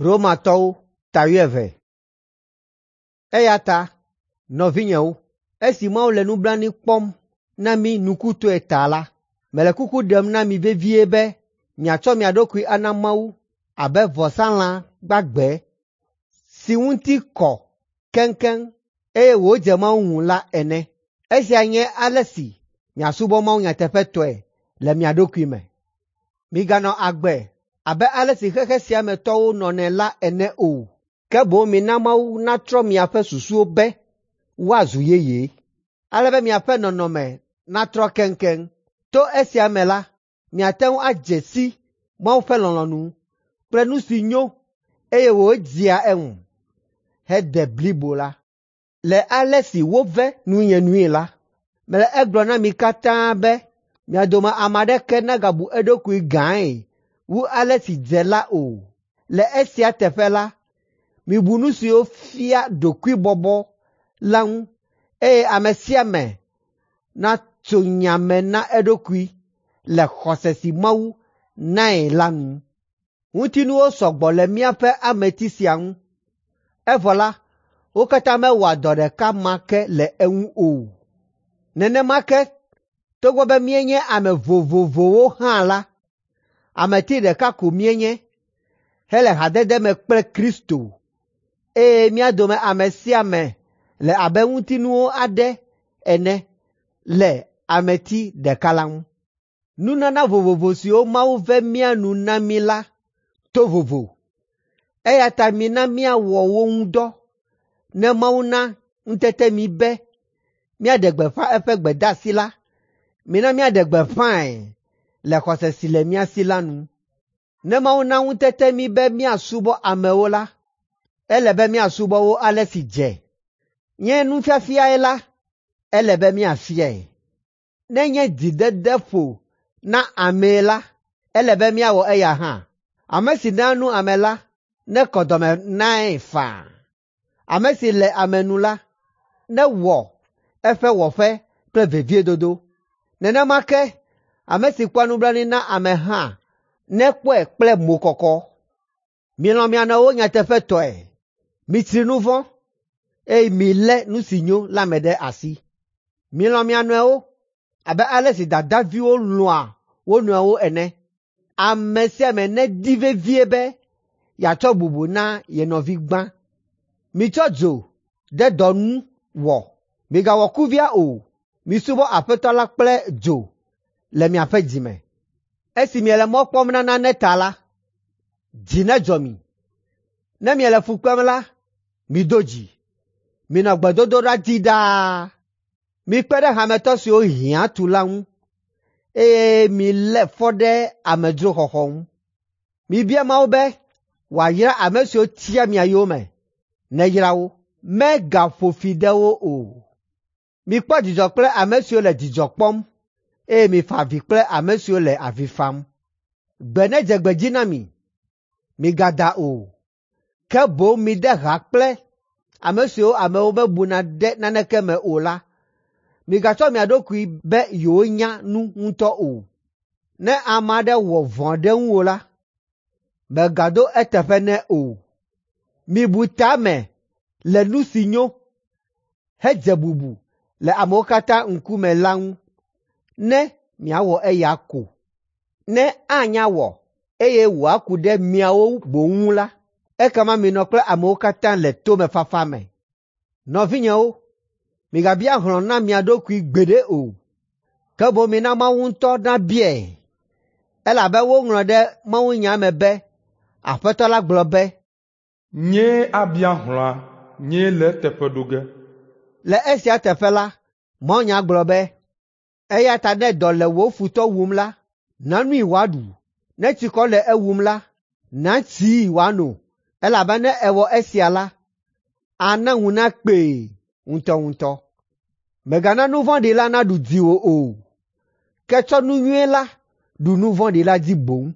Romatɔwo ta wuieve. Eya ta, nɔvinyewo, esi Mawu le nublanui kpɔm na mí nukutɔe ta la, mele kuku ɖem na mi vevie be miatsɔ mia ɖokui ana Mawu abe vɔsalã gbagbe si ŋuti kɔ keŋkeŋ eye wòdze Mawu ŋu la ene. Esia nye ale si miasubɔ Mawu nyateƒetɔe le mia ɖokui me. Miganɔ agbe abe ale si xexe sia me tɔwo nɔnɛ la ene o, ke boŋ mina Mawu natrɔ miaƒe susuwo be woazu yeye, ale be miaƒe nɔnɔme natrɔ keŋkeŋ. To esia me la, miate ŋu adze si Mawu ƒe lɔlɔ̃nu kple nu si nyo eye wòdzea eŋu hede blibo la. Le ale si wove nunye nui la, mele egblɔm na mi katã be mia dome ame aɖeke nagabu eɖokui gãe wu ale si dze la o. Le esia teƒe la, mibu nu siwo fia ɖokuibɔbɔ la ŋu eye ame sia ame natso nya me na eɖokui le xɔse si Mawu nae la nu. Ŋutinuwo sɔ gbɔ le míaƒe ameti sia ŋu, evɔ la, wo katã mewɔa dɔ ɖeka ma ke le eŋu o. Nenema ke togbɔ be míenye ame vovovowo hã la, ameti ɖeka ko míenye hele hadede me kple Kristo eye mía dome ame sia ame le abe ŋutinuwo aɖe ene le ameti ɖeka la ŋu. Nunana vovovo siwo Mawu ve mía nu na mí la to vovo, eya ta mina míawɔ wo ŋu dɔ ne Mawu na ŋutete mí be míaɖe gbeƒã eƒe gbedeasi la, mina míaɖe gbeƒãe le xɔse si le mía si la nu. Ne Mawu na ŋutete mí be míasubɔ amewo la, ele be míasubɔ wo ale si dze. Nye nufiafiae la, ele be míafiae. Nenye dzidede ƒo na amee la, ele be míawɔ eya hã. Ame si naa nu ame la nekɔ dɔme nae faa. Ame si le ame nu la, newɔ eƒe wɔƒe kple veviedodo. Nenema ke ame si kpɔa nublanui na ame hã nekpɔe kple mokɔkɔ. Milɔ̃ mia nɔewo nyateƒetɔe, mitsri nu vɔ̃, eye milé nu si nyo la me ɖe asi. Milɔ̃ mia nɔewo abe ale si dadaviwo lɔ̃a wo nɔewo ene. Ame sia ame nedi vevie be yeatsɔ bubu na ye nɔvi gbã. Mitsɔ dzo ɖe dɔ nu wɔ, migawɔ kuvia o. Misubɔ Aƒetɔ la kple dzo le miaƒe dzi me. Esi miele mɔ kpɔm na nane ta la, dzi nedzɔ mi. Ne miele fu kpem la, mido dzi. Minɔ gbedodoɖa dzi ɖaa. Mikpe ɖe hametɔ siwo hiã tu la ŋu eye milé fɔ ɖe amedzroxɔxɔ ŋu. Mibia Mawu be wòayra ame siwo tia mia yome, neyra wo, megaƒo fi de wo o. Mikpɔ dzidzɔ kple ame siwo le dzidzɔ kpɔm eye mifa avi kple ame siwo le avi fam. Gbe nedze gbe dzi na mi, migada o, ke boŋ mide ha kple ame siwo amewo mebuna ɖe naneke me o la. Migatsɔ mia ɖokui be yewonya nu ŋutɔ o. Ne ame aɖe wɔ vɔ̃ ɖe ŋuwò la, mègaɖo eteƒe nɛ o. Mibu ta me le nu si nyo hedze bubu le amewo katã ŋkume la ŋu ne miawɔ eya ko. Ne anya wɔ eye wòaku ɖe miawo boŋ ŋu la, ekema minɔ kple amewo katã le tomefafa me. Nɔvinyewo, migabia hlɔ̃ na mia ɖokui gbeɖe o, ke boŋ mina Mawu ŋutɔ nabiae, elabe woŋlɔ ɖe mawunya me be, Aƒetɔ la gblɔ be, Nyee abia hlɔ̃a, nyee le eteƒe ɖo ge. Le esia teƒe la, mawunya gblɔ be, eya ta ne dɔ le wò futɔ wum la, na nui wòaɖu, ne tsikɔ le ewum la, na tsii wòano, elabe ne èwɔ esia la, ana ŋu nakpee ŋutɔŋutɔ. Mègana nu vɔ̃ɖi la naɖu dziwò o, ke tsɔ nu nyui la ɖu nu vɔ̃ɖi la dzi boŋ.